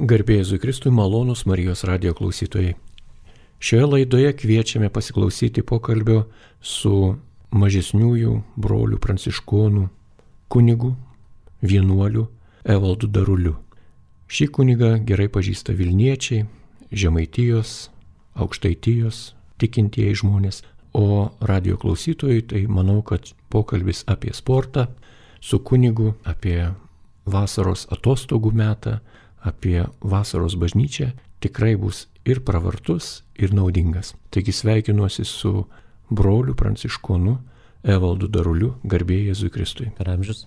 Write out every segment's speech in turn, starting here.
Garbė Jėzui Kristui, malonūs Marijos radijo klausytojai. Šioje laidoje kviečiame pasiklausyti pokalbio su mažesniųjų brolių pranciškonų kunigu, vienuoliu Evaldu Daruliu. Šį kunigą gerai pažįsta Vilniečiai, Žemaitijos, Aukštaitijos tikintieji žmonės, o radijo klausytojai tai manau, kad pokalbis apie sportą su kunigu, apie vasaros atostogų metą, apie vasaros bažnyčią tikrai bus ir pravartus, ir naudingas. Taigi sveikinuosi su broliu pranciškonu Evaldu Daruliu, garbė Jėzui Kristui. Per amžius.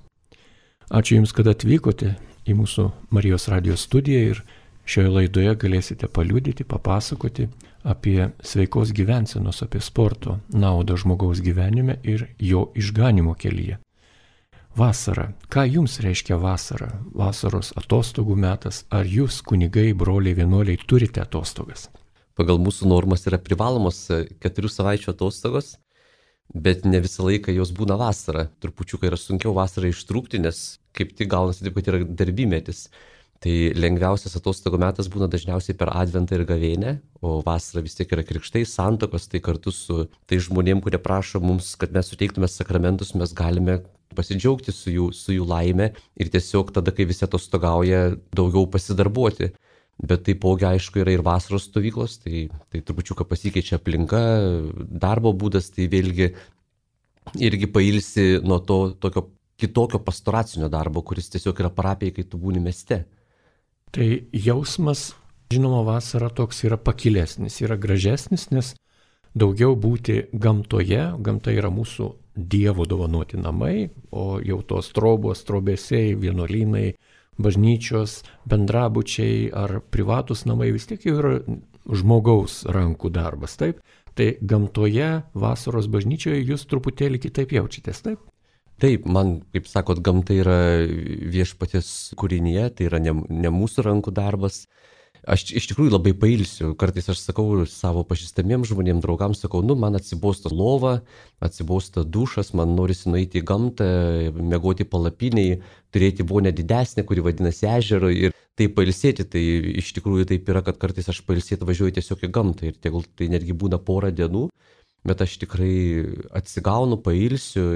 Ačiū Jums, kad atvykote į mūsų Marijos radijos studiją ir šioje laidoje galėsite paliudyti, papasakoti apie sveikos gyvensenos, apie sporto naudą žmogaus gyvenime ir jo išganimo kelyje. Vasara. Ką Jums reiškia vasara? Vasaros atostogų metas. Ar Jūs, kunigai, broliai, vienuoliai, turite atostogas? Pagal mūsų normas yra privalomos 4 savaičių atostogos, bet ne visą laiką jos būna vasara. Trupučiukai yra sunkiau vasarą ištrūkti, nes kaip tik gaunasi taip, kad yra darbymetis. Tai lengviausias atostogų metas būna dažniausiai per Adventą ir Gavėnią, o vasara vis tiek yra krikštai, santuokos, tai kartu su tai žmonėm, kurie prašo mums, kad mes suteiktume sakramentus, mes galime pasidžiaugti su jų laime ir tiesiog tada, kai visi atostogauja, daugiau pasidarbuoti. Bet taipogi, aišku, yra ir vasaros stovyklos, tai trupučiuką pasikeičia aplinka, darbo būdas, tai vėlgi irgi pailsi nuo to tokio kitokio pastoracinio darbo, kuris tiesiog yra parapijai, kai tu būni mieste. Tai jausmas, žinoma, vasara toks yra pakilesnis, yra gražesnis, nes daugiau būti gamtoje, gamta yra mūsų Dievo dovanoti namai, o jau tos trobos, trobesiai, vienuolynai, bažnyčios, bendrabučiai ar privatus namai vis tiek jau yra žmogaus rankų darbas, taip? Tai gamtoje, vasaros bažnyčioje jūs truputėlį kitaip jaučiatės, taip? Taip, man, kaip sakot, gamta yra viešpaties kūrinyje, tai yra ne mūsų rankų darbas. Aš iš tikrųjų labai pailsiu, kartais aš sakau savo pažįstamiems žmonėms, draugams, sakau, man atsibosta lova, atsibosta dušas, man norisi nueiti į gamtą, miegoti palapiniai, turėti vonę didesnę, kuri vadinasi ežero ir taip pailsėti, tai iš tikrųjų taip yra, kad kartais aš pailsėti važiuoju tiesiog į gamtą ir tegul tai netgi būna porą dienų, bet aš tikrai atsigaunu, pailsiu,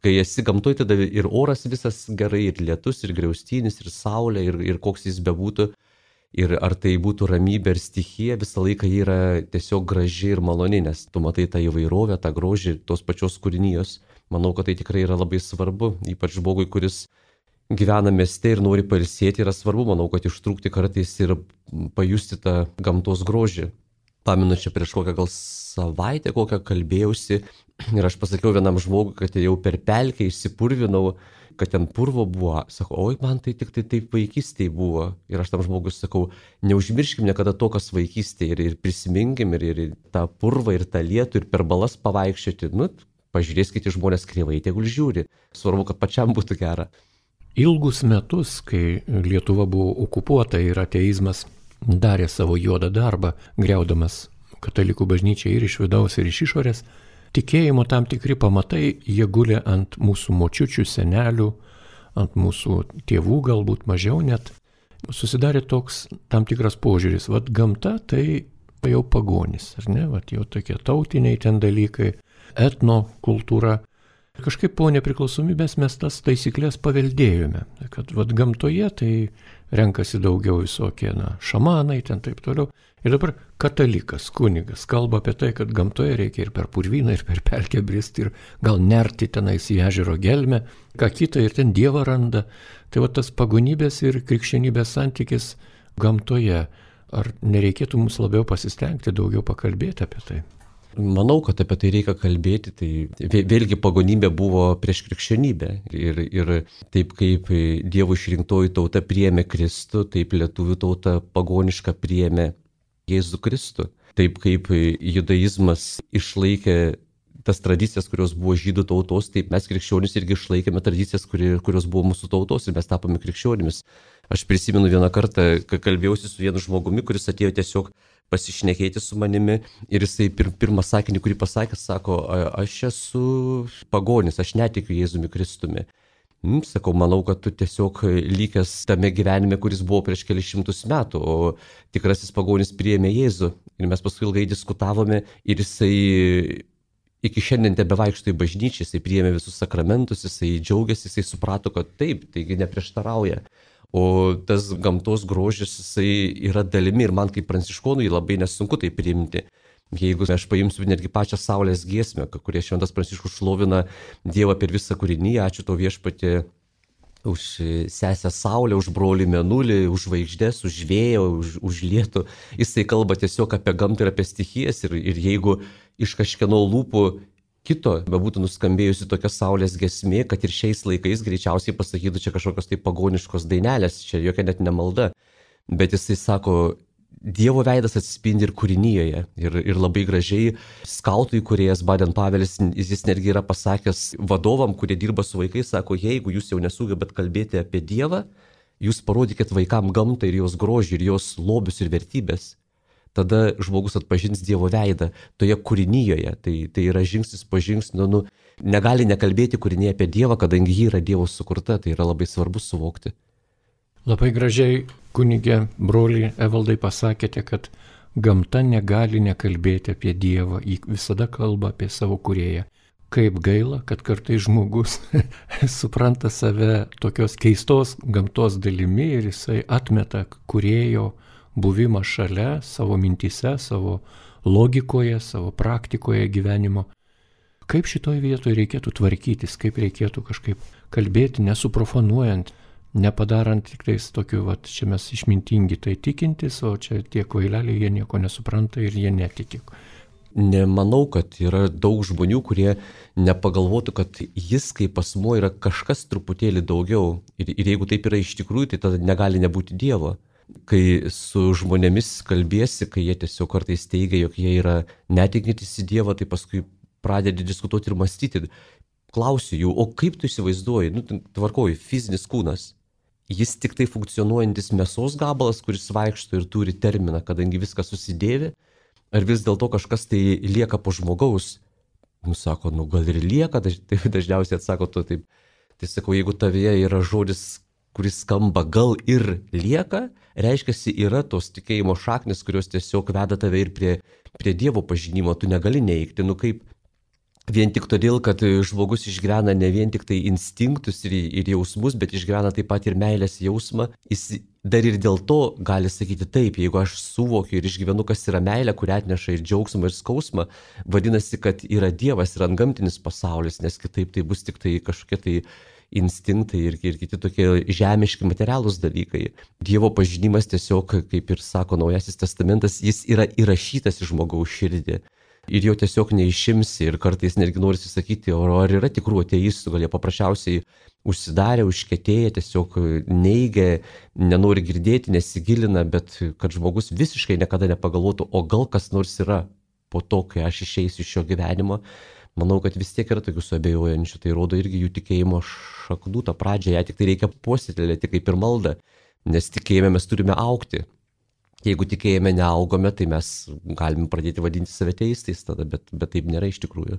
kai esi gamtoje, tada ir oras visas gerai, ir lietus, ir griaustinis, ir saulė, ir koks jis bebūtų. Ir ar tai būtų ramybė ir stichija, visą laiką ji yra tiesiog graži ir maloni, nes tu matai tą įvairovę, tą grožį tos pačios kūrinijos. Manau, kad tai tikrai yra labai svarbu, ypač žmogui, kuris gyvena mieste ir nori pailsėti, yra svarbu, manau, kad ištrūkti kartais ir pajusti tą gamtos grožį. Pamenu, čia prieš kokią gal savaitę kalbėjausi ir aš pasakiau vienam žmogui, kad jau per pelkę išsipurvinau, kad ten purvo buvo. Sakau, oi, man tai tik tai taip vaikystėje buvo. Ir aš tam žmogui sakau, neužmirškim niekada to, kas vaikystėje ir prisiminkim ir tą purvą, ir tą lietų, ir per balas pavaikščioti. Pažiūrėskite žmonės kreivai, tegul žiūri. Svarbu, kad pačiam būtų gera. Ilgus metus, kai Lietuva buvo okupuota ir ateizmas darė savo juodą darbą, griaudamas katalikų bažnyčią ir iš vidaus, ir iš išorės, tikėjimo tam tikri pamatai, jie gulė ant mūsų močiučių, senelių, ant mūsų tėvų galbūt mažiau net. Susidarė toks tam tikras požiūris, gamta tai jau pagonis, ar ne, jau tokie tautiniai ten dalykai, etno kultūra. Kažkaip po nepriklausomybės mes tas taisyklės paveldėjome, kad gamtoje tai renkasi daugiau visokie šamanai, ten taip toliau. Ir dabar katalikas, kunigas kalba apie tai, kad gamtoje reikia ir per purvyną, ir per pelkę bristi, ir gal nerti tenais į ežero gelmę, ką kitą, ir ten Dievą randa. Tai tas pagonybės ir krikščionybės santykis gamtoje. Ar nereikėtų mums labiau pasistengti, daugiau pakalbėti apie tai? Manau, kad apie tai reikia kalbėti, tai vėlgi pagonybė buvo prieš krikščionybę ir taip kaip Dievo išrinktoji tauta priėmė Kristų, taip lietuvių tauta pagoniška priėmė Jėzų Kristų. Taip kaip judaizmas išlaikė tas tradicijas, kurios buvo žydų tautos, taip mes krikščionys irgi išlaikėme tradicijas, kurios buvo mūsų tautos ir mes tapome krikščionimis. Aš prisimenu vieną kartą, kai kalbėjausi su vienu žmogumi, kuris atėjo tiesiog pasišnekėti su manimi ir jisai pirmą sakinį, kurį pasakė, sako, aš esu pagonis, aš netikiu Jėzumi Kristumi. Sakau, manau, kad tu tiesiog lykęs tame gyvenime, kuris buvo prieš kelius šimtus metų, o tikrasis pagonis priėmė Jėzų. Ir mes paskui ilgai diskutavome ir jisai iki šiandien tebevaikšto į bažnyčią, jisai priėmė visus sakramentus, jisai džiaugiasi, jisai suprato, kad taip, taigi neprieštarauja. O tas gamtos grožis, jisai yra dalimi ir man kaip pranciškonui labai nesunku tai priimti. Jeigu aš paimsiu netgi pačią Saulės giesmę, kurie šventas Pranciškus šlovina Dievą per visą kūriniją, ačiū tau Viešpatie už sesę Saulę, už brolį Mėnulį, už žvaigždės, už vėją, už lietų. Jisai kalba tiesiog apie gamtą ir apie stichijas ir jeigu iš kažkieno lūpų kito bebūtų nuskambėjusi tokia Saulės giesmė, kad ir šiais laikais greičiausiai pasakytų čia kažkokios tai pagoniškos dainelės, čia jokia net ne malda. Bet jisai sako, Dievo veidas atsispindi ir kūrinyje. Ir labai gražiai skautų įkūrėjas Baden-Pavelis, jis netgi yra pasakęs vadovam, kurie dirba su vaikais, sako, jeigu jūs jau nesugebat kalbėti apie Dievą, jūs parodykit vaikam gamtą ir jos grožį, ir jos lobius ir vertybės. Tada žmogus atpažins Dievo veidą toje kūrinyje. Tai yra žingsnis po žingsnio. Negali nekalbėti kūrinyje apie Dievą, kadangi ji yra Dievo sukurta. Tai yra labai svarbu suvokti. Labai gražiai, kunigė, broliai Evaldai, pasakėte, kad gamta negali nekalbėti apie Dievą, ji visada kalba apie savo kūrėją. Kaip gaila, kad kartais žmogus supranta save tokios keistos gamtos dalimi ir jisai atmeta kūrėjo buvimą šalia savo mintyse, savo logikoje, savo praktikoje gyvenimo. Kaip šitoj vietoje reikėtų tvarkytis, kaip reikėtų kažkaip kalbėti, nesuprofanuojant, nepadarant tik tais tokiu, čia mes išmintingi tai tikintis, o čia tie kvaileliai, jie nieko nesupranta ir jie netiki. Nemanau, kad yra daug žmonių, kurie nepagalvotų, kad jis kaip asmuo yra kažkas truputėlį daugiau. Ir jeigu taip yra iš tikrųjų, tai tada negali nebūti Dievo. Kai su žmonėmis kalbėsi, kai jie tiesiog kartais teigia, jog jie yra netikintis į Dievą, tai paskui pradedi diskutuoti ir mąstyti. Klausiu jų, o kaip tu įsivaizduoji, tvarkoji, fizinis kūnas. Jis tik tai funkcionuojantis mėsos gabalas, kuris vaikšto ir turi terminą, kadangi viskas susidėvi, ar vis dėlto kažkas tai lieka po žmogaus. Sako, gal ir lieka, tai dažniausiai atsako to taip. Tai sakau, jeigu tavyje yra žodis, kuris skamba gal ir lieka, reiškia, yra tos tikėjimo šaknis, kurios tiesiog veda tave ir prie Dievo pažinimo, tu negali neigti, kaip vien tik todėl, kad žmogus išgyvena ne vien tik tai instinktus ir jausmus, bet išgyvena taip pat ir meilės jausmą. Jis dar ir dėl to gali sakyti taip, jeigu aš suvokiu ir išgyvenu, kas yra meilė, kurią atneša ir džiaugsmą, ir skausmą, vadinasi, kad yra Dievas, yra antgamtinis pasaulis, nes kitaip tai bus tik tai kažkokie tai instinktai ir kiti tokie žemiški materialūs dalykai. Dievo pažinimas tiesiog, kaip ir sako Naujasis testamentas, jis yra įrašytas į žmogaus širdį. Ir jo tiesiog neišimsi ir kartais netgi norisi sakyti, ar yra tikrų ateistų, gal jie paprasčiausiai užsidarė, užkietėję, tiesiog neigia, nenori girdėti, nesigilina, bet kad žmogus visiškai niekada nepagalvotų, o gal kas nors yra po to, kai aš išeisiu iš šio gyvenimo. Manau, kad vis tiek yra tokių suabejojančių, tai rodo irgi jų tikėjimo šaknų, tą pradžią, ją tik tai reikia puoselėti kaip ir maldą, nes tikėjime mes turime augti. Jeigu tikėjime neaugome, tai mes galime pradėti vadinti save teistais tada, bet taip nėra iš tikrųjų.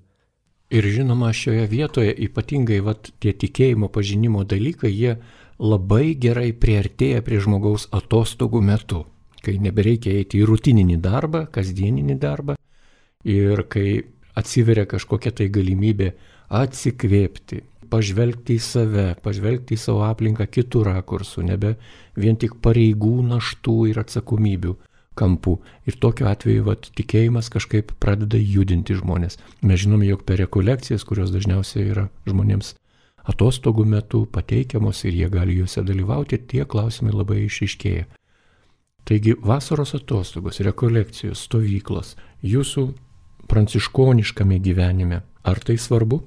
Ir žinoma, šioje vietoje ypatingai tie tikėjimo pažinimo dalykai, jie labai gerai priartėja prie žmogaus atostogų metu, kai nebereikia eiti į rutininį darbą, kasdieninį darbą ir kai atsiveria kažkokia tai galimybė atsikvėpti, pažvelgti į save, pažvelgti į savo aplinką kitų rakursų, nebe vien tik pareigų, naštų ir atsakomybių kampų. Ir tokiu atveju tikėjimas kažkaip pradeda judinti žmonės. Mes žinome, jog per rekolekcijas, kurios dažniausiai yra žmonėms atostogų metu pateikiamos ir jie gali juose dalyvauti, tie klausimai labai išryškėja. Taigi vasaros atostogos, rekolekcijos, stovyklos, jūsų pranciškoniškame gyvenime, ar tai svarbu?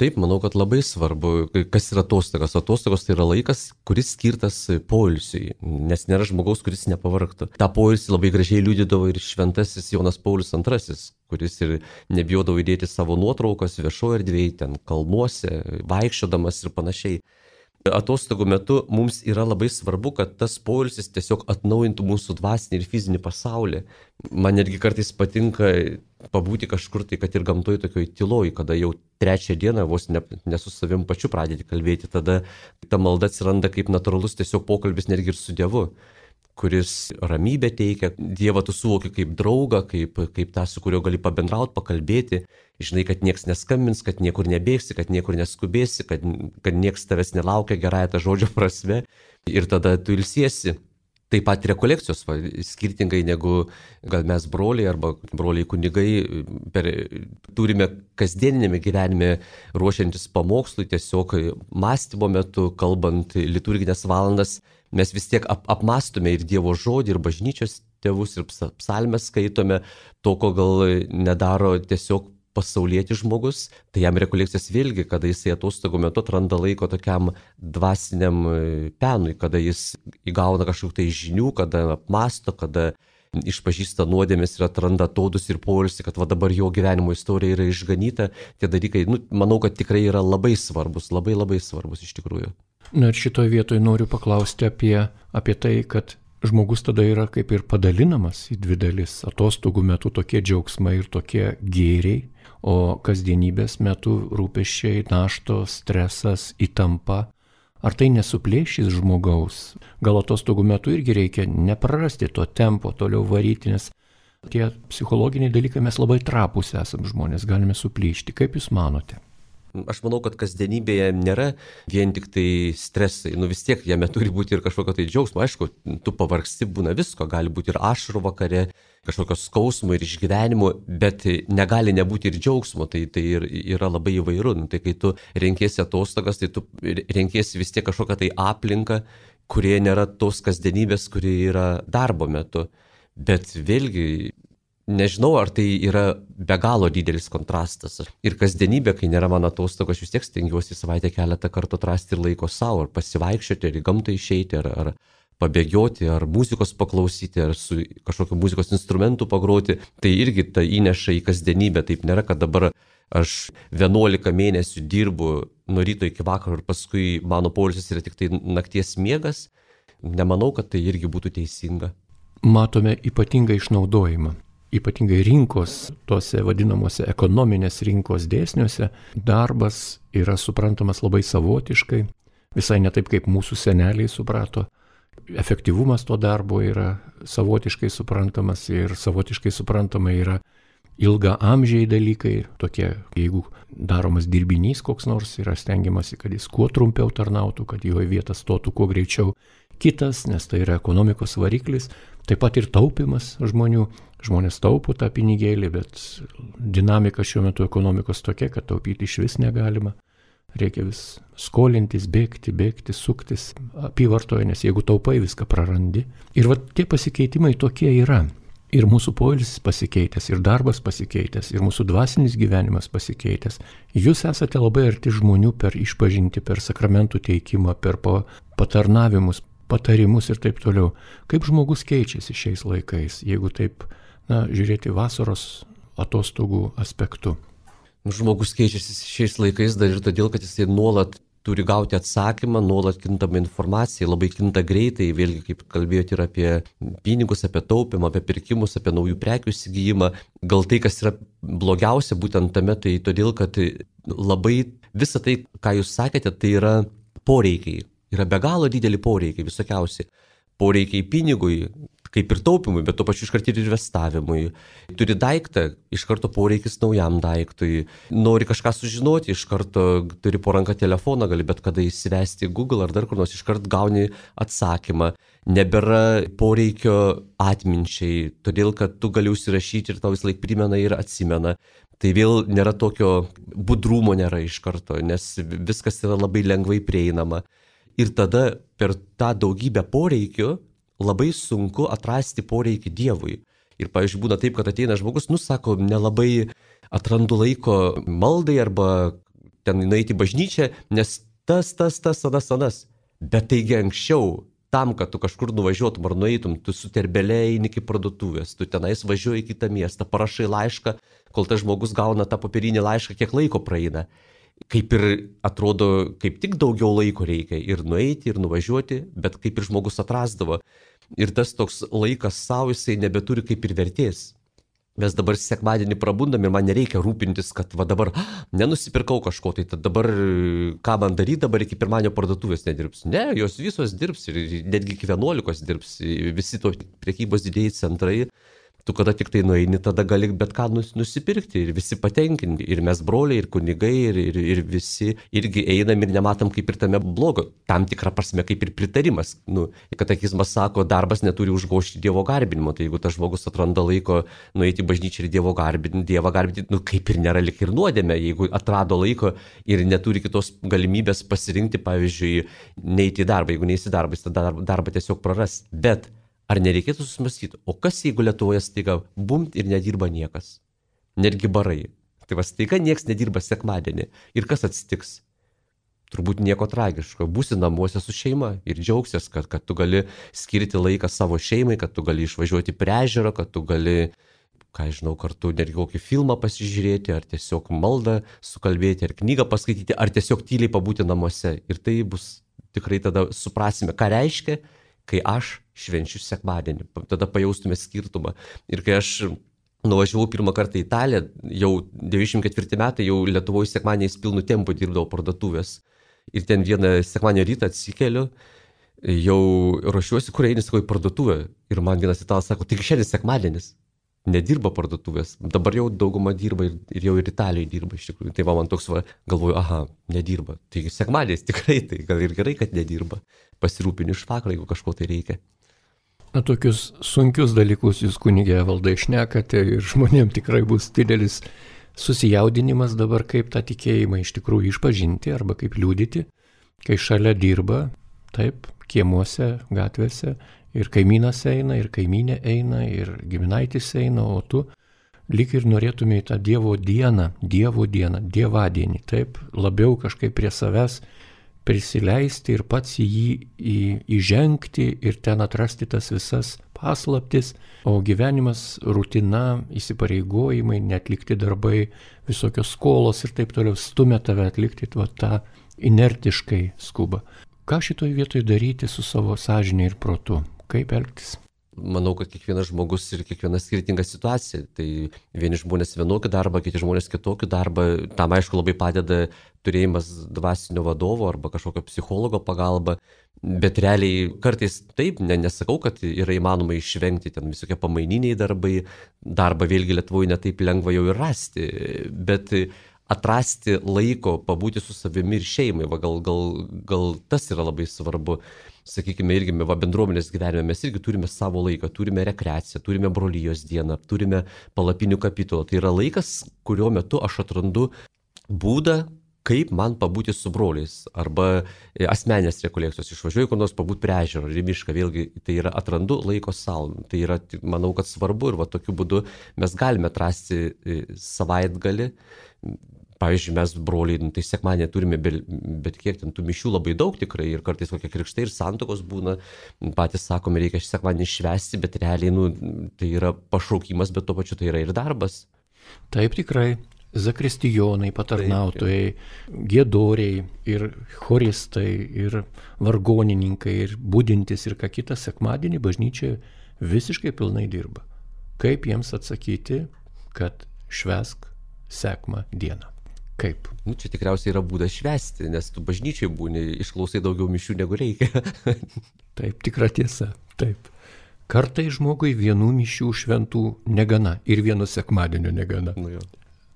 Taip, manau, kad labai svarbu. Kas yra atostogos? Atostogos tai yra laikas, kuris skirtas poilsiui, nes nėra žmogaus, kuris nepavargtų. Ta poilsį labai gražiai liudydavo ir šventasis Jonas Paulius II, kuris ir nebijodavo įdėti savo nuotraukas viešoje erdvėje, ten kalnuose, vaikščiodamas ir panašiai. Atostogų metu mums yra labai svarbu, kad tas poilsis tiesiog atnaujintų mūsų dvasinį ir fizinį pasaulį. Man netgi kartais patinka pabūti kažkur tai, kad ir gamtoje tokioj tyloj, kada jau 3 dieną vos ne su savim pačiu pradėti kalbėti, tada ta malda atsiranda kaip natūralus tiesiog pokalbis netgi ir su Dievu, kuris ramybę teikia. Dievą tu suvoki kaip draugą, kaip tą, su kuriuo gali pabendrauti, pakalbėti. Žinai, kad nieks neskambins, kad niekur nebėgsi, kad niekur neskubėsi, kad nieks tavęs nelaukia gerąją tą žodžio prasme. Ir tada tu ilsiesi. Taip pat rekolekcijos, skirtingai negu gal mes broliai arba broliai kunigai turime kasdieninėme gyvenime ruošiantis pamokslui, tiesiog mąstymo metu, kalbant liturginės valandas, mes vis tiek apmąstome ir Dievo žodį, ir bažnyčios tėvus, ir psalmes skaitome, to, ko gal nedaro tiesiog pasaulietis žmogus, tai jam rekolekcijas vėlgi, kada jisai atostogų metu atranda laiko tokiam dvasiniam penui, kada jis įgauna kažkokių tai žinių, kada apmąsto, kada išpažįsta nuodėmes ir atranda atodus ir poilsį, kad va dabar jo gyvenimo istorija yra išganyta. Tie dalykai, manau, kad tikrai yra labai svarbus, labai labai svarbus iš tikrųjų. Na ir šitoje vietoje noriu paklausti apie tai, kad žmogus tada yra kaip ir padalinamas į 2 dalis. Atostogų metu tokie džiaugsmai ir tokie gėriai, o kasdienybės metu rūpesčiai, naštos, stresas, įtampa. Ar tai nesuplėšys žmogaus? Gal atostogų metu irgi reikia neprarasti to tempo, toliau varyti, nes tie psichologiniai dalykai mes labai trapūs esam žmonės, galime suplyšti. Kaip Jūs manote? Aš manau, kad kasdienybėje nėra vien tik tai stresai, vis tiek jame turi būti ir kažkokio tai džiaugsmo. Aišku, tu pavargsti, būna visko, gali būti ir ašarų vakare, kažkokio skausmo ir išgyvenimo, bet negali nebūti ir džiaugsmo, tai ir yra labai įvairu. Tai kai tu renkiesi atostogas, tai tu renkiesi vis tiek kažkokią tai aplinką, kurie nėra tos kasdienybės, kurie yra darbo metu. Bet vėlgi, nežinau, ar tai yra be galo didelis kontrastas. Ir kasdienybė, kai nėra mano atostogų, aš vis tiek stengiuosi savaitę keletą kartų atrasti ir laiko savo, ar pasivaikščioti, ar į gamtą išeiti, ar pabėgioti, ar muzikos paklausyti, ar su kažkokiu muzikos instrumentu pagroti. Tai irgi tai įneša į kasdienybę. Taip nėra, kad dabar aš 11 mėnesių dirbu nuo ryto iki vakaro ir paskui mano poilsis yra tik tai nakties miegas. Nemanau, kad tai irgi būtų teisinga. Matome ypatingą išnaudojimą. Ypatingai rinkos, tose vadinamuose ekonominės rinkos dėsniuose, darbas yra suprantamas labai savotiškai, visai ne taip, kaip mūsų seneliai suprato. Efektyvumas to darbo yra savotiškai suprantamas ir savotiškai suprantama yra ilgaamžiai dalykai, tokie, jeigu daromas dirbinys koks nors, yra stengiamasi, kad jis kuo trumpiau tarnautų, kad jo vietą stotų kuo greičiau kitas, nes tai yra ekonomikos variklis, taip pat ir taupimas žmonių. Žmonės taupo tą pinigėlį, bet dinamika šiuo metu ekonomikos tokia, kad taupyti iš vis negalima. Reikia vis skolintis, bėgti, suktis apyvartoje, nes jeigu taupai, viską prarandi. Ir va tie pasikeitimai tokie yra. Ir mūsų poilsis pasikeitęs, ir darbas pasikeitęs, ir mūsų dvasinis gyvenimas pasikeitęs. Jūs esate labai arti žmonių per išpažintį, per sakramentų teikimą, per patarnavimus, patarimus ir taip toliau. Kaip žmogus keičiasi šiais laikais, jeigu taip žiūrėti vasaros atostogų aspektu? Žmogus keičiasi šiais laikais dar ir todėl, kad jisai nuolat turi gauti atsakymą, nuolat kintama informacija, labai kinta greitai, vėlgi kaip kalbėjote ir apie pinigus, apie taupimą, apie pirkimus, apie naujų prekių įsigijimą. Gal tai, kas yra blogiausia būtent tame, tai todėl, kad labai visą tai, ką jūs sakėte, tai yra poreikiai. Yra be galo dideli poreikiai, visokiausi. Poreikiai pinigui, kaip ir taupimui, bet tuo pačiu iškart ir investavimui. Turi daiktą, iš karto poreikis naujam daiktui. Nori kažką sužinoti, iš karto turi po ranką telefoną, gali bet kada įsivesti į Google ar dar kur nors, iš karto gauni atsakymą. Nebėra poreikio atminčiai, todėl kad tu gali užsirašyti ir tau vis laik primena ir atsimena. Tai vėl nėra tokio budrumo nėra iš karto, nes viskas yra labai lengvai prieinama. Ir tada per tą daugybę poreikių labai sunku atrasti poreikį Dievui. Ir, pavyzdžiui, būna taip, kad ateina žmogus, sako, nelabai atrandu laiko maldai arba ten nueiti į bažnyčią, nes tas, anas. Bet taigi anksčiau, tam, kad tu kažkur nuvažiuotum ar nueitum, tu su terbelė eini iki parduotuvės, tu tenais važiuoji į kitą miestą, parašai laišką, kol tas žmogus gauna tą popierinį laišką, kiek laiko praeina. kaip ir atrodo, kaip tik daugiau laiko reikia ir nueiti, ir nuvažiuoti, bet kaip ir žmogus atrasdavo. Ir tas toks laikas savo, jisai nebeturi kaip ir vertės. Mes dabar sekmadienį prabundam ir man nereikia rūpintis, kad va dabar nenusipirkau kažko, tai dabar ką man daryti, dabar iki pirmadienio parduotuvės nedirbs. Ne, jos visos dirbs ir netgi iki 11 dirbs, visi to prekybos didėjai centrai. Tu kada tik tai nueini, tada gali bet ką nusipirkti ir visi patenkinti. Ir mes broliai, ir kunigai, ir visi irgi einam ir nematom kaip ir tame blogo. Tam tikrą prasme kaip ir pritarimas. Katekizmas sako, darbas neturi užgožti Dievo garbinimo. Tai jeigu tas žmogus atranda laiko nueiti į bažnyčią ir Dievą garbinti, kaip ir nėra lik ir nuodėmė. Jeigu atrado laiko ir neturi kitos galimybės pasirinkti, pavyzdžiui, neiti į darbą. Jeigu neįsi darbą, jis tada darbą tiesiog praras. Bet ar nereikėtų susimastyti, o kas jeigu Lietuvoje staiga bumt ir nedirba niekas? Netgi barai. Tai va staiga nieks nedirba sekmadienį. Ir kas atsitiks? Turbūt nieko tragiško. Būsi namuose su šeima ir džiaugsies, kad tu gali skirti laiką savo šeimai, kad tu gali išvažiuoti prie ežero, kad tu gali, kartu netgi kokį filmą pasižiūrėti, ar tiesiog maldą sukalbėti, ar knygą paskaityti, ar tiesiog tyliai pabūti namuose. Ir tai bus tikrai tada suprasime, ką reiškia, kai aš švenčiu sekmadienį, tada pajaustume skirtumą. Ir kai aš nuvažiavau pirmą kartą į Italiją, jau 94 metai, jau Lietuvoje sekmadieniais pilnu tempu dirbdavau parduotuvės. Ir ten vieną sekmadienio rytą atsikeliu, jau ruošiuosi, kur eini, sakau, į parduotuvę. Ir man vienas italas sako, tik šiandien sekmadienis. Nedirba parduotuvės. Dabar jau dauguma dirba ir jau ir Italijoje dirba iš tikrųjų. Tai man toks galvoju, nedirba. Tai sekmadienis tikrai, tai gal ir gerai, kad nedirba. Pasirūpini iš vakaro, jeigu kažko tai reikia. Tokius sunkius dalykus jūs, kunigė Evaldai, šnekate ir žmonėm tikrai bus didelis susijaudinimas dabar, kaip tą tikėjimą iš tikrųjų išpažinti arba kaip liudyti, kai šalia dirba, taip, kiemuose, gatvėse, ir kaimynas eina, ir kaimynė eina, ir giminaitis eina, o tu lyg ir norėtumai tą Dievo dieną, dievadienį, taip, labiau kažkaip prie savęs prisileisti ir pats į jį įžengti ir ten atrasti tas visas paslaptis, o gyvenimas, rutina, įsipareigojimai, netlikti darbai, visokios skolos ir taip toliau stumia tave atlikti tą inertiškai skubą. Ką šitoj vietoj daryti su savo sąžinė ir protu? Kaip elgtis? Manau, kad kiekvienas žmogus ir kiekviena skirtinga situacija. Tai vieni žmonės vienokį darbą, kiti žmonės kitokį darbą. Tam aišku labai padeda turėjimas dvasinio vadovo arba kažkokio psichologo pagalba. Bet realiai kartais taip, nesakau, kad yra įmanoma išvengti ten visokie pamaininiai darbai. Darbą vėlgi Lietuvoje netaip lengva jau ir rasti. Bet atrasti laiko, pabūti su savimi ir šeimai, gal tas yra labai svarbu. Sakykime, irgi bendruomenės gyvenime mes irgi turime savo laiką, turime rekreaciją, turime brolijos dieną, turime palapinių kapitulą. Tai yra laikas, kurio metu aš atrandu būdą, kaip man pabūti su broliais, arba asmeninės rekolekcijos, išvažiuoju kur nors pabūti prie ežero, į mišką, vėlgi tai yra atrandu laiko savo. Tai yra, manau, kad svarbu ir tokiu būdu mes galime atrasti savaitgalį. Pavyzdžiui, mes broliai, tai sekmadienį turime bet kiek ten tų mišių labai daug tikrai ir kartais kokie krikštai ir santuokos būna, patys sakome, reikia sekmadienį švęsti, bet realiai tai yra pašaukimas, bet tuo pačiu tai yra ir darbas. Taip tikrai, zakristijonai, patarnautojai, giedoriai ir choristai ir vargonininkai ir budintis ir ką kitą sekmadienį bažnyčia visiškai pilnai dirba. Kaip jiems atsakyti, kad švęsk sekmą dieną? Kaip? Čia tikriausiai yra būdas švęsti, nes tu bažnyčiai būni, išklausai daugiau mišių negu reikia. Taip, tikra tiesa, taip. Kartai žmogui vienų mišių šventų negana ir vieno sekmadienio negana.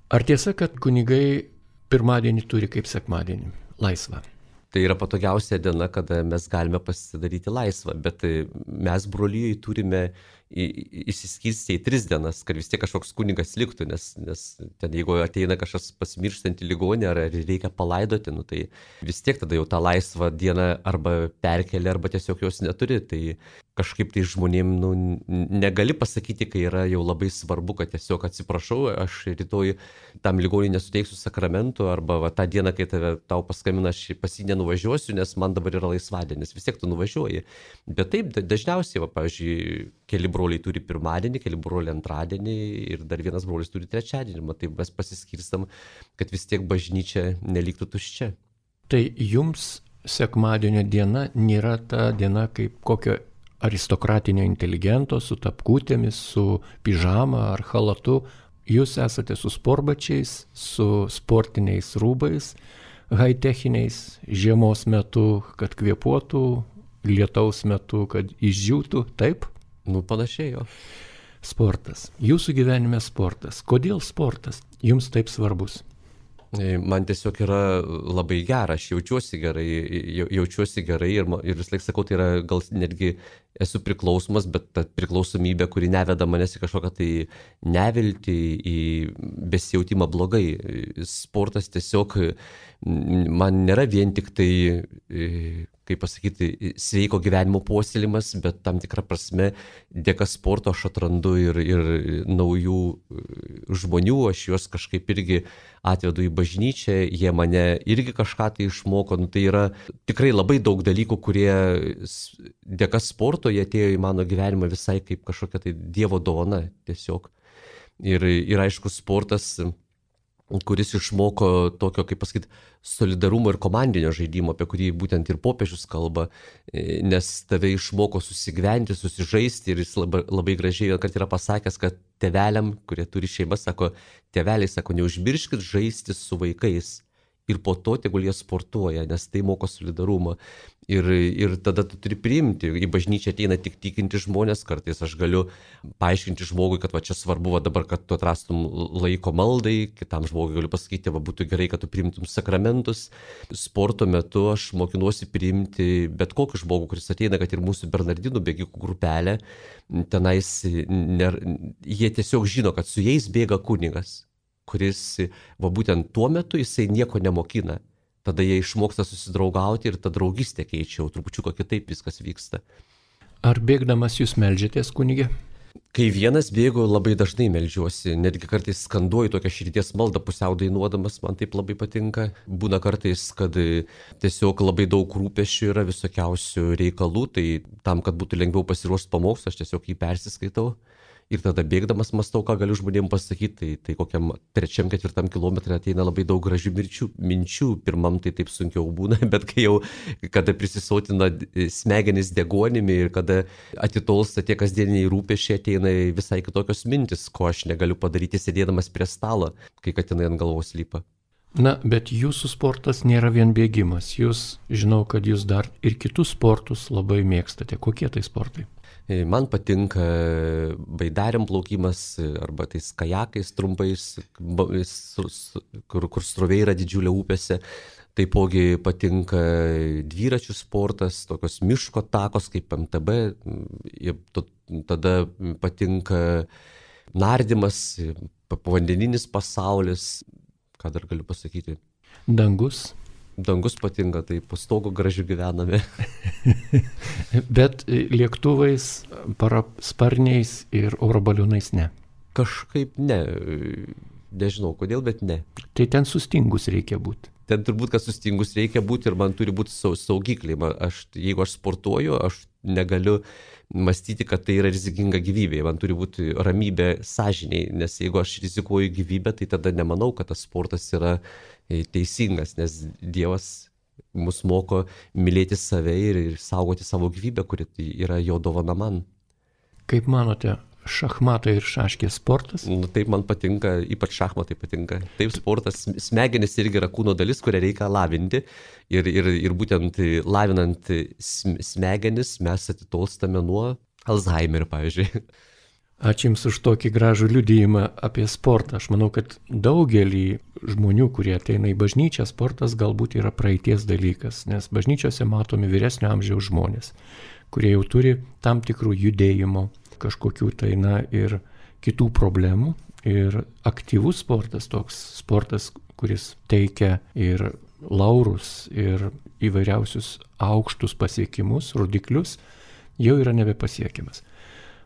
Ar tiesa, kad kunigai pirmadienį turi kaip sekmadienį laisvą? Tai yra patogiausia diena, kada mes galime pasidaryti laisvą, bet mes brolijai turime įsiskirstyti į 3 dienas, kad vis tiek kažkoks kunigas liktų, nes ten jeigu ateina kažkas pasimirštantį ligonį ar reikia palaidoti, tai vis tiek tada jau tą laisvą dieną arba perkeli, arba tiesiog jos neturi. Tai kažkaip tai žmonėm negali pasakyti, kai yra jau labai svarbu, kad tiesiog atsiprašau, aš rytoj tam ligoniui nesuteiksiu sakramentų, arba tą dieną, kai tau paskambina, aš pas jį nenuvažiuosiu, nes man dabar yra laisvadienis, vis tiek tu nuvažiuoji. Bet taip, dažniausiai, pavyzdžiui, keli broliai turi pirmadienį, keli broliai antradienį ir dar vienas brolis turi trečiadienį, tai mes pasiskirstam, kad vis tiek bažnyčia neliktų tuščia. Tai jums sekmadienio diena nėra ta diena kaip kokio aristokratinio inteligento su tapkutėmis, su pižama ar chalatu. Jūs esate su sportbačiais, su sportiniais rūbais, high-techiniais, žiemos metu, kad kvėpuotų, lietaus metu, kad išdžiūtų, taip? Panašiai jo. Sportas. Jūsų gyvenime sportas. Kodėl sportas jums taip svarbus? Man tiesiog yra labai gera, aš jaučiuosi gerai ir vis laik sakau, tai yra gal netgi esu priklausomas, bet ta priklausomybė, kuri neveda manęs į kažkokią tai neviltį, į besijautimą blogai. Sportas tiesiog man nėra vien tik tai, kaip pasakyti, sveiko gyvenimo puoselėjimas, bet tam tikrą prasme dėka sporto aš atrandu ir naujų žmonių, aš juos kažkaip irgi atvedu į bažnyčią, jie mane irgi kažką tai išmoko. Tai yra tikrai labai daug dalykų, kurie dėka sporto jie atėjo į mano gyvenimą visai kaip kažkokia tai Dievo dovana tiesiog. Ir aišku, sportas, kuris išmoko tokio, kaip pasakyti, solidarumo ir komandinio žaidimo, apie kurį būtent ir popiežius kalba, nes tave išmoko susigyventi, susižaisti ir jis labai gražiai kad yra pasakęs, kad tėveliam, kurie turi šeimą, sako, tėveliai, sako, neužmirškit žaisti su vaikais ir po to tegul jie sportuoja, nes tai moko solidarumą. Ir tada tu turi priimti, į bažnyčią ateina tik tikinti žmonės, kartais aš galiu paaiškinti žmogui, kad va čia svarbu dabar, kad tu atrastum laiko maldai, kitam žmogui galiu pasakyti, va būtų gerai, kad tu priimtum sakramentus. Sporto metu aš mokinuosi priimti bet kokį žmogų, kuris ateina, kad ir mūsų Bernardinų bėgikų grupelė, tenais jie tiesiog žino, kad su jais bėga kunigas, kuris va būtent tuo metu jisai nieko nemokina. Tada jie išmoksta susidraugauti ir ta draugystė keičia, trupučiuką kitaip viskas vyksta. Ar bėgdamas jūs meldžiatės, kunige? Kai vienas bėgu, labai dažnai meldžiuosi, netgi kartais skanduoju tokią širdies maldą pusiau dainuodamas, man taip labai patinka. Būna kartais, kad tiesiog labai daug rūpesčių yra, visokiausių reikalų, tai tam, kad būtų lengviau pasiruošti pamokslą, aš tiesiog jį persiskaitau. Ir tada bėgdamas mąstau, ką galiu žmonėms pasakyti, tai kokiam 3-4 kilometrą ateina labai daug gražių minčių, pirmam tai taip sunkiau būna, bet kada prisisotina smegenis degonimi ir kada atitolsta tie kasdieniai rūpesčiai, ateina visai kitokios mintis, ko aš negaliu padaryti sėdėdamas prie stalo, kai katinai ant galvos lypa. Na, bet jūsų sportas nėra vien bėgimas, žinau, kad jūs dar ir kitus sportus labai mėgstate. Kokie tai sportai? Man patinka baidariam plaukimas arba tais kajakais trumpais, kur srovė yra didžiulė upėse. Taipogi patinka dviračių sportas, tokios miško takos kaip MTB. Tada patinka nardymas, povandeninis pasaulis. Ką dar galiu pasakyti? Dangus. Dangus patinka, tai po stogu gražiu gyvename. Bet lėktuvais, parasparniais ir oro baliūnais ne. Kažkaip ne. Nežinau kodėl, bet ne. Tai ten sustingus reikia būti. Ten turbūt, kad sustingus reikia būti ir man turi būti saugikliai. Jeigu aš sportuoju, aš negaliu mąstyti, kad tai yra rizikinga gyvybė. Man turi būti ramybė sąžiniai, nes jeigu aš rizikuoju gyvybę, tai tada nemanau, kad tas sportas yra teisingas, nes Dievas mus moko mylėti save ir saugoti savo gyvybę, kuri yra jo dovana man. Kaip manote, šachmatai ir šaškės sportas? Taip man patinka, ypač šachmatai patinka. Taip, sportas, smegenis irgi yra kūno dalis, kurią reikia lavinti ir būtent lavinant smegenis mes atitolstame nuo Alzheimerio, pavyzdžiui. Ačiū Jums už tokį gražų liudijimą apie sportą. Aš manau, kad daugelį žmonių, kurie ateina į bažnyčią, sportas galbūt yra praeities dalykas, nes bažnyčiose matomi vyresnio amžiaus žmonės, kurie jau turi tam tikrų judėjimo, kažkokių ir kitų problemų. Ir aktyvus sportas, toks sportas, kuris teikia ir laurus, ir įvairiausius aukštus pasiekimus, rodiklius, jau yra nebepasiekiamas.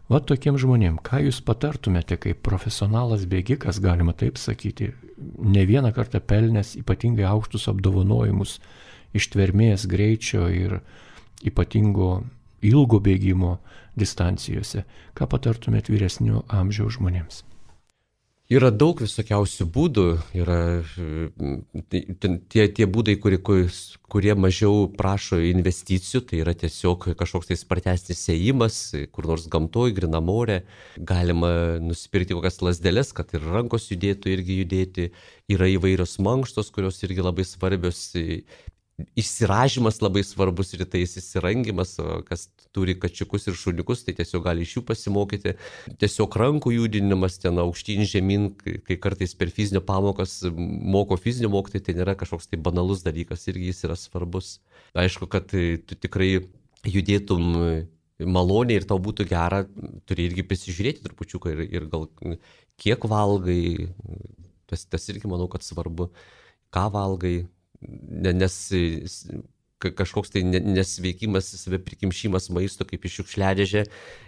Va tokiem žmonėm, ką jūs patartumėte kaip profesionalas bėgikas, galima taip sakyti, ne vieną kartą pelnęs ypatingai aukštus apdovanojimus ištvermės, greičio ir ypatingo ilgo bėgimo distancijose, ką patartumėte vyresnio amžiaus žmonėms? Yra daug visokiausių būdų, yra tie būdai, kurie mažiau prašo investicijų, tai yra tiesiog kažkoks tai spartesnis ėjimas, kur nors gamtoj, grynam ore, galima nusipirkti kokias lasdeles, kad ir rankos judėtų irgi judėti, yra įvairios mankštos, kurios irgi labai svarbios, išsiražymas labai svarbus rytais, įsirangimas, kas turi kačiukus ir šuniukus, tai tiesiog gali iš jų pasimokyti. Tiesiog rankų judinimas ten aukštyn žemyn, kai kartais per fizinio pamokas moko fizinio mokytojai, tai nėra kažkoks tai banalus dalykas, irgi jis yra svarbus. Aišku, kad tu tikrai judėtum maloniai ir tau būtų gera, turi irgi prisižiūrėti trupučiuką ir gal kiek valgai, tas irgi manau, kad svarbu, ką valgai. Nes kažkoks tai nesveikimas, saviprikimšimas maisto kaip iš šiukšliadėžę,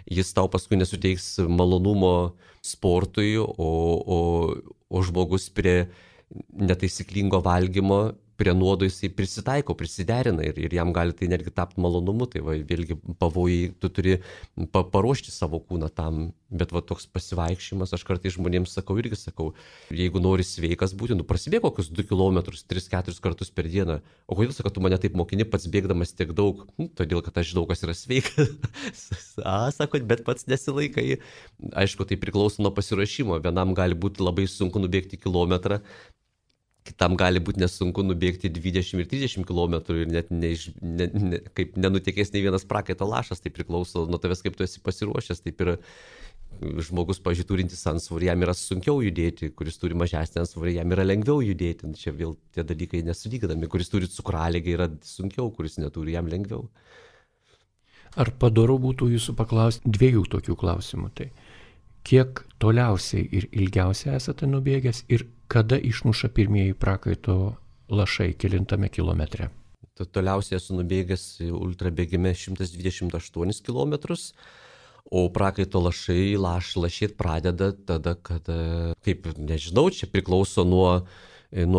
jis tau paskui nesuteiks malonumo sportui, o žmogus prie netaisyklingo valgymo, prie nuodo jisai prisitaiko, prisiderina ir jam gali tai netgi tapti malonumu, tai va, vėlgi pavojai, tu turi paruošti savo kūną tam, bet va toks pasivaikščiojimas, aš kartais žmonėms sakau, jeigu nori sveikas būti, prasibėg kokius 2 km, 3-4 kartus per dieną, o kodėl sakai, tu mane taip mokini pats bėgdamas tiek daug, todėl kad aš žinau, kas yra sveikas, sako, bet pats nesilaikai, aišku, tai priklauso nuo pasiruošimo, vienam gali būti labai sunku nubėgti kilometrą, kitam gali būti nesunku nubėgti 20 ir 30 km ir net kaip nenutekės nei vienas prakaito lašas, tai priklauso nuo tavęs, kaip tu esi pasiruošęs, taip ir žmogus, pavyzdžiui, turintis antsvorį, jam yra sunkiau judėti, kuris turi mažesnį antsvorį, jam yra lengviau judėti, čia vėl tie dalykai nesulygdami, kuris turi cukraligę yra sunkiau, kuris neturi, jam lengviau. Ar padoru būtų jūsų paklausti 2 tokių klausimų, tai kiek toliausiai ir ilgiausiai esate nubėgęs ir kada išmuša pirmieji prakaito lašai, kelintame kilometre? Toliausiai esu nubėgęs ultrabėgime 128 km, o prakaito lašai lašėt pradeda tada, kada, kaip nežinau, čia priklauso nuo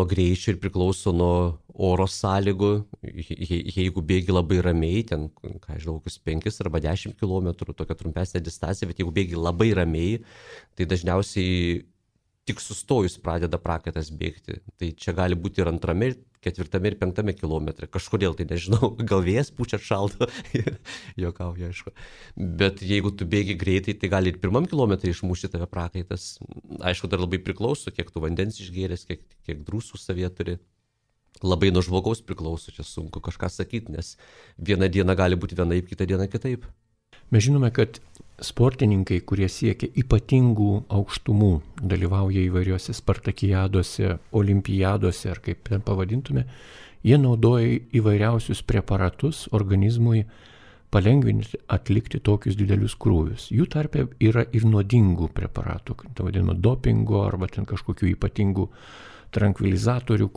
greičio ir priklauso nuo oro sąlygų. Jeigu bėgi labai ramiai, ten, ką žinau, kokius 5 arba 10 km, tokia trumpesnė distancija, bet jeigu bėgi labai ramiai, tai dažniausiai tik sustojus pradeda prakaitas bėgti. Tai čia gali būti ir 2, 4 ir 5 kilometre. Kažkodėl tai nežinau, gal vėjas pučia šalto, juokauju, aišku. Bet jeigu tu bėgi greitai, tai gali ir 1 kilometre išmušti tave prakaitas. Aišku, dar labai priklauso, kiek tu vandens išgėrės, kiek drusų savyje turi. Labai nuo žmogaus priklauso, čia sunku kažką sakyti, nes vieną dieną gali būti vienaip, kitą dieną kitaip. Mes žinome, kad sportininkai, kurie siekia ypatingų aukštumų, dalyvauja įvairiuose spartakiadose, olimpiadose ar kaip ten pavadintume, jie naudoja įvairiausius preparatus organizmui palengvinti atlikti tokius didelius krūvius. Jų tarpe yra ir nuodingų preparatų, tai vadinama dopingo arba ten kažkokių ypatingų trankvilizatorių,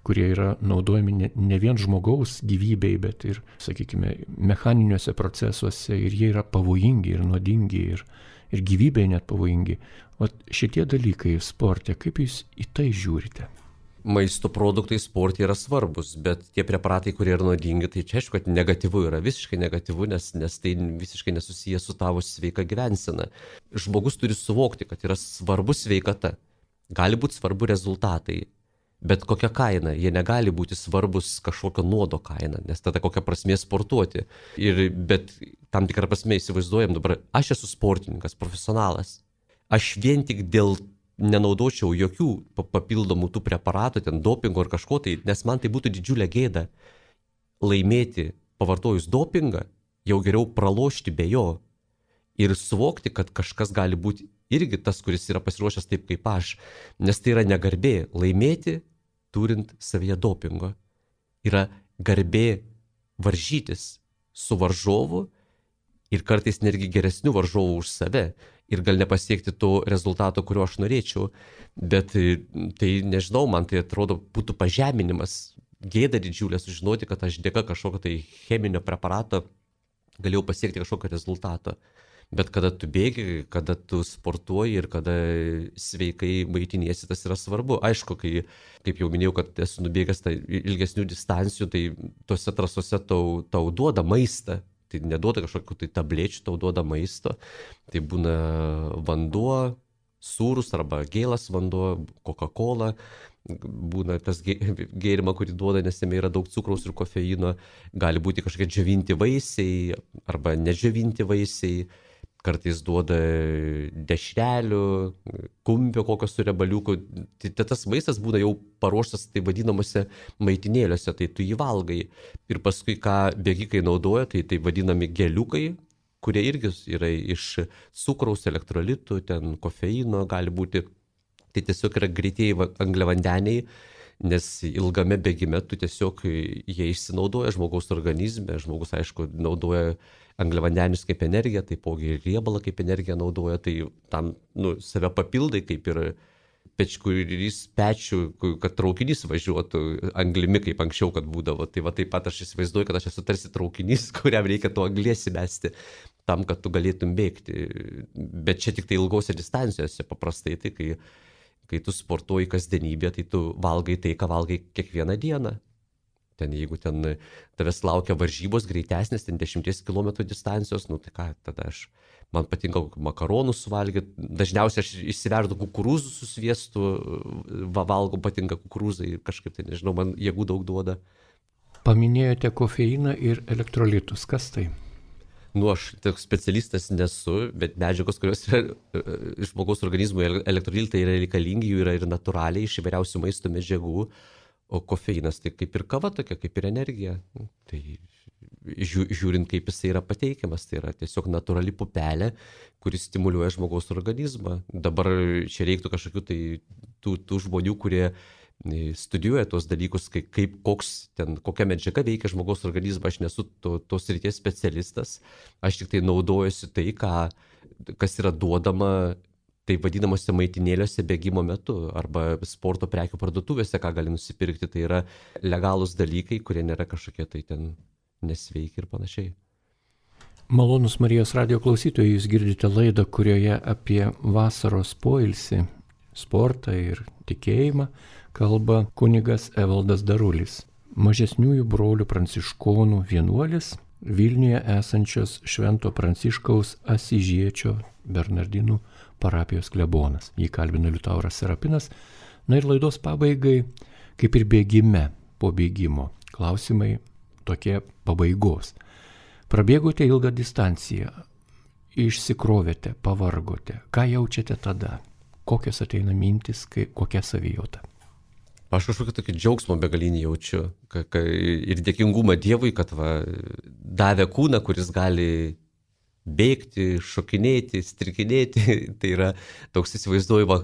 kurie yra naudojami ne vien žmogaus gyvybei, bet ir, sakykime, mechaniniuose procesuose ir jie yra pavojingi ir nuodingi ir gyvybei net pavojingi. O šitie dalykai sporte, kaip jūs į tai žiūrite? Maisto produktai sporte yra svarbus, bet tie preparatai, kurie yra nuodingi, tai čia aišku, kad negatyvu yra, visiškai negatyvu, nes tai visiškai nesusiję su tavo sveika gyvensena. Žmogus turi suvokti, kad yra svarbu sveikata, gali būti svarbu rezultatai. Bet kokia kaina, jie negali būti svarbus kažkokio nuodo kaina, nes tada kokia prasmė sportuoti. Bet tam tikrą prasme įsivaizduojam dabar, aš esu sportininkas, profesionalas. Aš vien tik dėl nenaudočiau jokių papildomų tų preparatų, ten dopingo ar kažko tai, nes man tai būtų didžiulė gėda laimėti pavartojus dopingą, jau geriau pralošti be jo ir suvokti, kad kažkas gali būti irgi tas, kuris yra pasiruošęs taip kaip aš, nes tai yra negarbė laimėti, turint savyje dopingo. Yra garbė varžytis su varžovu ir kartais netgi geresnių varžovų už save ir gal nepasiekti to rezultato, kurio aš norėčiau, bet tai nežinau, man tai atrodo būtų pažeminimas, gėda didžiulė sužinoti, kad aš dėka kažkokio tai cheminio preparato galėjau pasiekti kažkokio rezultato. Bet kada tu bėgi, kada tu sportuoji ir kada sveikai maitiniesi, tas yra svarbu. Aišku, kaip jau minėjau, kad esu nubėgęs ilgesnių distancijų, tai tuose trasose tau duoda maistą. Tai neduoda kažkokių tai tablečių, tau duoda maisto. Tai būna vanduo, sūrus arba gėlas vanduo, Coca-Cola. Būna tas gėrimą, kurį duoda, nes jame yra daug cukraus ir kofeino. Gali būti kažkokie džiovinti vaisiai arba nedžiovinti vaisiai. Kartais duoda dešrelių, kumpio kokio su rebaliuku. Tai tas maistas būna jau paruoštas tai vadinamuose maitinėliuose, tai tu jį valgai. Ir paskui, ką bėgikai naudoja, tai vadinami geliukai, kurie irgi yra iš cukraus, elektrolitų, ten kofeino gali būti. Tai tiesiog yra greitieji angliavandeniai, nes ilgame bėgime tu tiesiog jie išsinaudoja žmogaus organizme. Žmogus, aišku, naudoja angliavandenius kaip energiją, taipogi ir riebalą kaip energiją naudoja, tai tam save papildai kaip ir pečkurys pečių, kad traukinys važiuotų anglimi, kaip anksčiau, kad būdavo. Tai va taip pat aš įsivaizduoju, kad aš esu tarsi traukinys, kuriam reikia to anglies įmesti tam, kad tu galėtum bėgti. Bet čia tik tai ilgose distancijose paprastai, tai kai tu sportuoji kasdienybę, tai tu valgai tai, ką valgai kiekvieną dieną. Ten jeigu ten tavęs laukia varžybos greitesnės, ten 10 km distancijos, tai ką, tada man patinka makaronų suvalgyti, dažniausiai aš išsiverdu kukurūzų su sviestu, valgau, patinka kukurūzai ir kažkaip tai, nežinau, man jėgų daug duoda. Paminėjote kofeiną ir elektrolitus, kas tai? Aš toks specialistas nesu, bet medžiagos, kurios yra žmogaus organizmui, elektrolitai yra reikalingi, jų yra ir natūraliai iš įvairiausių maisto medžiagų. O kofeinas tai kaip ir kava tokia, kaip ir energija. Tai žiūrint, kaip jisai yra pateikiamas, tai yra tiesiog natūrali pupelė, kuris stimuliuoja žmogaus organizmą. Dabar čia reiktų kažkokių tai tų žmonių, kurie studijuoja tuos dalykus, kokia medžiaga veikia žmogaus organizmą. Aš nesu tos srities specialistas, aš tik tai naudojuosi tai, kas yra duodama tai vadinamuose maitinėliuose bėgimo metu arba sporto prekių parduotuvėse, ką gali nusipirkti. Tai yra legalūs dalykai, kurie nėra kažkokie tai ten nesveiki ir panašiai. Malonus Marijos radijo klausytojai, jūs girdite laidą, kurioje apie vasaros poilsį, sportą ir tikėjimą kalba kunigas Evaldas Darulis, mažesniųjų brolių pranciškonų vienuolis, Vilniuje esančios Švento Pranciškaus Asyžiečio Bernardinų parapijos klebonas. Jį kalbina Liutauras Serapinas. Na ir laidos pabaigai, kaip ir bėgime, po bėgimo, klausimai tokie pabaigos. Prabėgote ilgą distanciją, išsikrovėte, pavargote. Ką jaučiate tada? Kokios ateina mintis, kokia savijauta? Aš kažkokį tokį džiaugsmą begalinį jaučiu ir dėkingumą Dievui, kad davė kūną, kuris gali bėgti, šokinėti, strikinėti. Tai yra toks įsivaizduoju,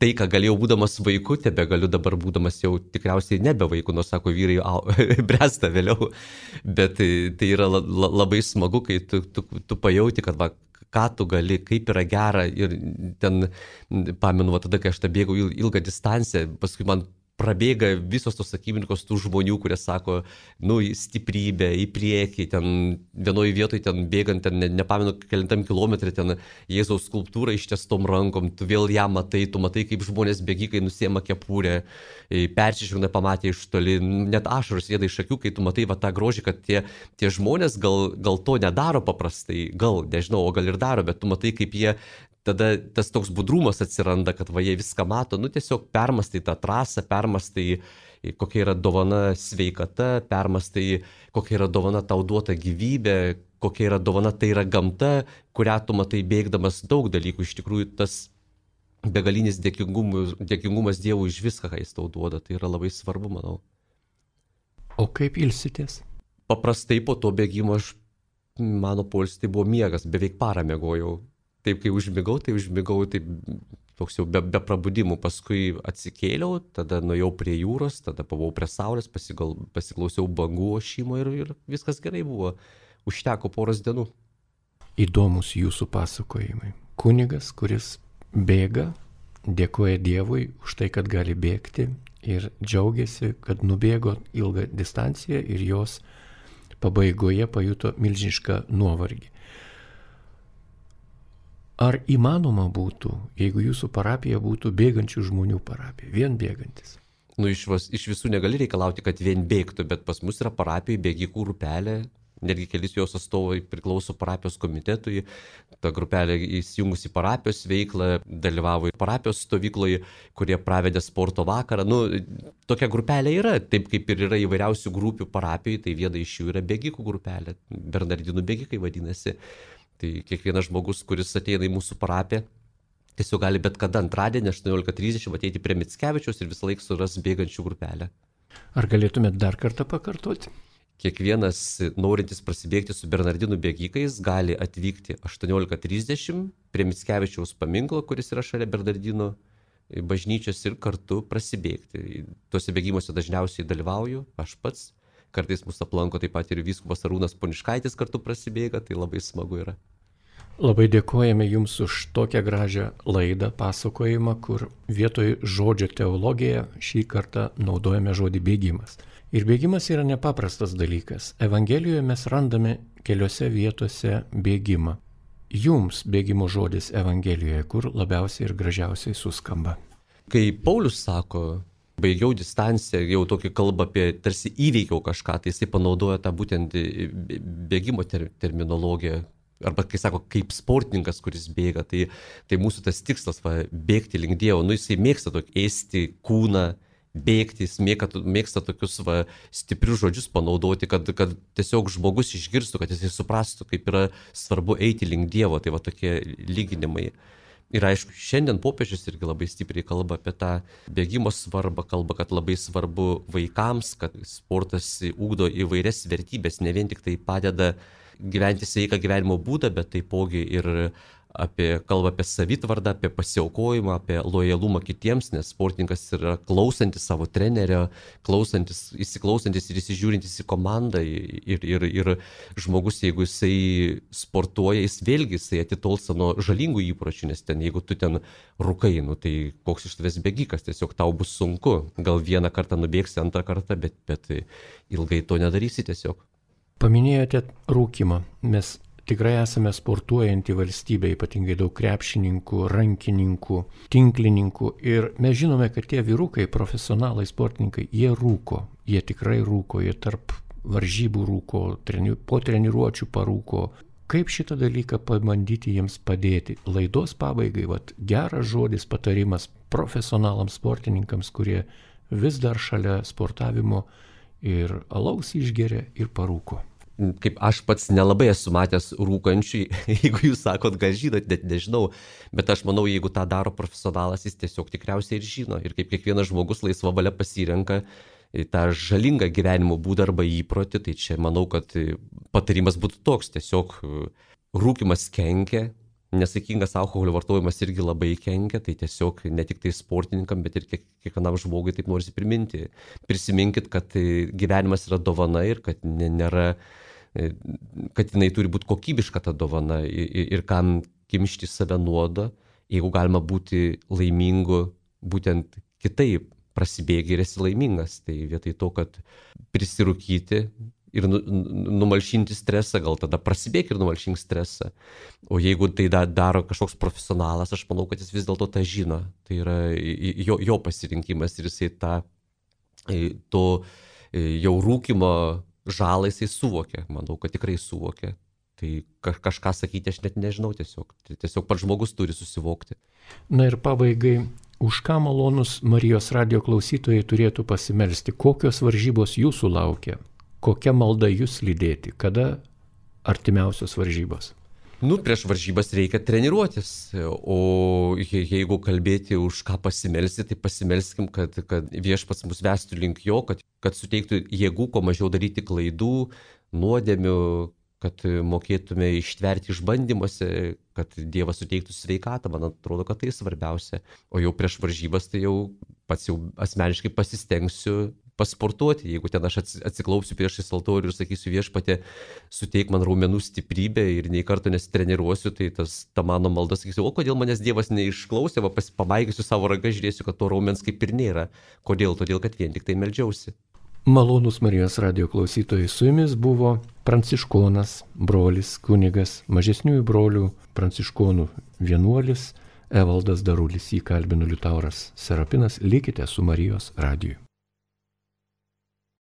tai, ką galėjau būdamas vaiku, tebegaliu dabar būdamas jau tikriausiai nebe vaiku, nors sako vyrai bręsta vėliau. Bet tai yra labai smagu, kai tu pajauti, kad ką tu gali, kaip yra gera. Ir ten, pamenu, tada, kai aš bėgau ilgą distanciją, paskui man prabėga visos tos akimirkos tų žmonių, kurie sako, stiprybė, į priekį, ten vienoje vietoje, ten bėgant, ten nepamenu, kelintam kilometrė, ten Jėzaus skulptūra ištiestom rankom, tu vėl ją matai, tu matai, kaip žmonės bėgikai nusiema kepurę, persižvelgia pamatė iš toli, net ašaros rieda iš akių, kai tu matai tą grožį, kad tie žmonės gal to nedaro paprastai, gal, nežinau, o gal ir daro, bet tu matai, kaip jie tada tas toks budrumas atsiranda, kad jie viską mato, tiesiog permastai tą trasą, permastai, kokia yra dovana sveikata, permastai, kokia yra dovana tau duota gyvybė, kokia yra dovana, tai yra gamta, kurią tu matai bėgdamas daug dalykų. Iš tikrųjų, tas begalinis dėkingumas Dievui už viską, ką jis tau duoda, tai yra labai svarbu, manau. O kaip ilsitės? Paprastai po to bėgimo mano poilsis tai buvo miegas, beveik parą miegojau. Taip, kai užmigau, taip toks jau be prabudimų. Paskui atsikėliau, tada nuėjau prie jūros, tada buvau prie saulės, pasiklausiau bangų ošimo ir viskas gerai buvo. Užteko poros dienų. Įdomus jūsų pasakojimai. Kunigas, kuris bėga, dėkoja Dievui už tai, kad gali bėgti ir džiaugiasi, kad nubėgo ilgą distanciją ir jos pabaigoje pajuto milžinišką nuovargį. Ar įmanoma būtų, jeigu jūsų parapija būtų bėgančių žmonių parapija, vien bėgantis? Iš visų negali reikalauti, kad vien bėgtų, bet pas mus yra parapijai bėgikų grupelė, netgi kelis jos atstovai priklauso parapijos komitetui, ta grupelė įsijungusi parapijos veiklą, dalyvavo ir parapijos stovykloje, kurie pravedė sporto vakarą. Tokia grupelė yra, taip kaip ir yra įvairiausių grupių parapijai, tai viena iš jų yra bėgikų grupelė, Bernardinų bėgikai vadinasi. Tai kiekvienas žmogus, kuris ateina į mūsų parapiją, tiesiog gali bet kada antradienį 18:30 ateiti prie Mickevičiaus ir visą laiką suras bėgančių grupelę. Ar galėtumėt dar kartą pakartoti? Kiekvienas norintis prasibėgti su Bernardinų bėgikais gali atvykti 18:30 prie Mickevičiaus paminklo, kuris yra šalia Bernardinų bažnyčios, ir kartu prasibėgti. Tuose bėgimuose dažniausiai dalyvauju aš pats. Kartais mus aplanko taip pat ir vyskupas Arūnas Poniškaitis kartu prasibėga, tai labai smagu yra. Labai dėkojame Jums už tokią gražią laidą, pasakojimą, kur vietoj žodžio teologija šį kartą naudojame žodį bėgimas. Ir bėgimas yra nepaprastas dalykas. Evangelijoje mes randame keliose vietose bėgimą. Jums bėgimo žodis Evangelijoje, kur labiausiai ir gražiausiai suskamba? Kai Paulius sako, baigiau distanciją, jau tokį kalbą apie tarsi įveikiau kažką, tai jisai panaudoja tą būtent bėgimo terminologiją. Arba kai sako, kaip sportininkas, kuris bėga, tai mūsų tas tikslas bėgti link Dievo. Jisai mėgsta tokį ėsti kūną, bėgti, jis mėgsta tokius stiprius žodžius panaudoti, kad tiesiog žmogus išgirstų, kad jisai suprastų, kaip yra svarbu eiti link Dievo. Tai tokie lyginimai. Ir aišku, šiandien popiežius irgi labai stipriai kalba apie tą bėgimo svarbą, kalba, kad labai svarbu vaikams, kad sportas ugdo įvairias vertybės, ne vien tik tai padeda gyventi sveiką gyvenimo būdą, bet taipogi ir kalba apie savitvardą, apie pasiaukojimą, apie lojalumą kitiems, nes sportininkas yra klausantis savo trenerio, įsiklausantis ir įsižiūrintis į komandą. Ir žmogus, jeigu jisai sportuoja, jisai atitolsta nuo žalingų įpročių, nes jeigu tu ten rūkai, tai koks iš tavęs bėgikas, tiesiog tau bus sunku. Gal vieną kartą nubėgsi, antrą kartą, bet ilgai to nedarysi tiesiog. Paminėjote rūkimą. Mes tikrai esame sportuojanti valstybė, ypatingai daug krepšininkų, rankininkų, tinklininkų. Ir mes žinome, kad tie vyrukai, profesionalai, sportininkai, jie rūko. Jie tikrai rūko, jie tarp varžybų rūko, po treniruočių parūko. Kaip šitą dalyką pabandyti jiems padėti? Laidos pabaigai, geras žodis, patarimas profesionalams sportininkams, kurie vis dar šalia sportavimo ir alaus išgeria ir parūko. Kaip aš pats nelabai esu matęs rūkančių, jeigu jūs sakot, gal žinot, net nežinau, bet aš manau, jeigu tą daro profesionalas, jis tiesiog tikriausiai ir žino. Ir kaip kiekvienas žmogus laisva valia pasirenka tą žalingą gyvenimo būdą arba įprotį, tai čia manau, kad patarimas būtų toks, tiesiog rūkimas kenkia, nesaikingas alkoholio vartojimas irgi labai kenkia, tai tiesiog ne tik tai sportininkam, bet ir kiekvienam žmogui taip norisi priminti. Prisiminkit, kad gyvenimas yra dovana ir kad kad jinai turi būti kokybiška ta dovana ir kam kimšti save nuodo, jeigu galima būti laimingu būtent kitaip, prasibėgi ir esi laimingas. Tai vietoj to, kad prisirūkyti ir numalšinti stresą, gal tada prasibėgi ir numalšink stresą. O jeigu tai daro kažkoks profesionalas, aš manau, kad jis vis dėlto tą žino. Tai yra jo pasirinkimas ir jisai to jau rūkimo žalą jisai suvokia. Manau, kad tikrai suvokia. Tai kažką sakyti aš net nežinau tiesiog. Tiesiog pats žmogus turi susivokti. Na ir pabaigai, už ką malonus Marijos radijo klausytojai turėtų pasimelsti? Kokios varžybos jūsų laukia? Kokia malda jūs lydėti? Kada artimiausios varžybos? Prieš varžybas reikia treniruotis, o jeigu kalbėti už ką pasimelsti, tai pasimelskim, kad viešpats mus vestų link jo, kad suteiktų jėgų, kuo mažiau daryti klaidų, nuodėmių, kad mokėtume ištverti išbandymuose, kad Dievas suteiktų sveikatą, man atrodo, kad tai svarbiausia. O jau prieš varžybas tai jau pats jau asmeniškai pasistengsiu pasportuoti. Jeigu ten aš atsiklaupsiu priešais altorių ir sakysiu viešpatie, suteik man raumenų stiprybę ir nei karto nesitreniruosiu, tai ta mano malda sakysiu, o kodėl manęs Dievas neišklausė, pamaigysiu savo ranką, žiūrėsiu, kad to raumens kaip ir nėra. Kodėl? Todėl, kad vien tik tai meldžiausi. Malonūs Marijos radijo klausytojai, su jumis buvo pranciškonas, brolis, kunigas, mažesniųjų brolių pranciškonų vienuolis Evaldas Darulis, jį kalbino Liutauras Serapinas. Likite su Marijos radiju.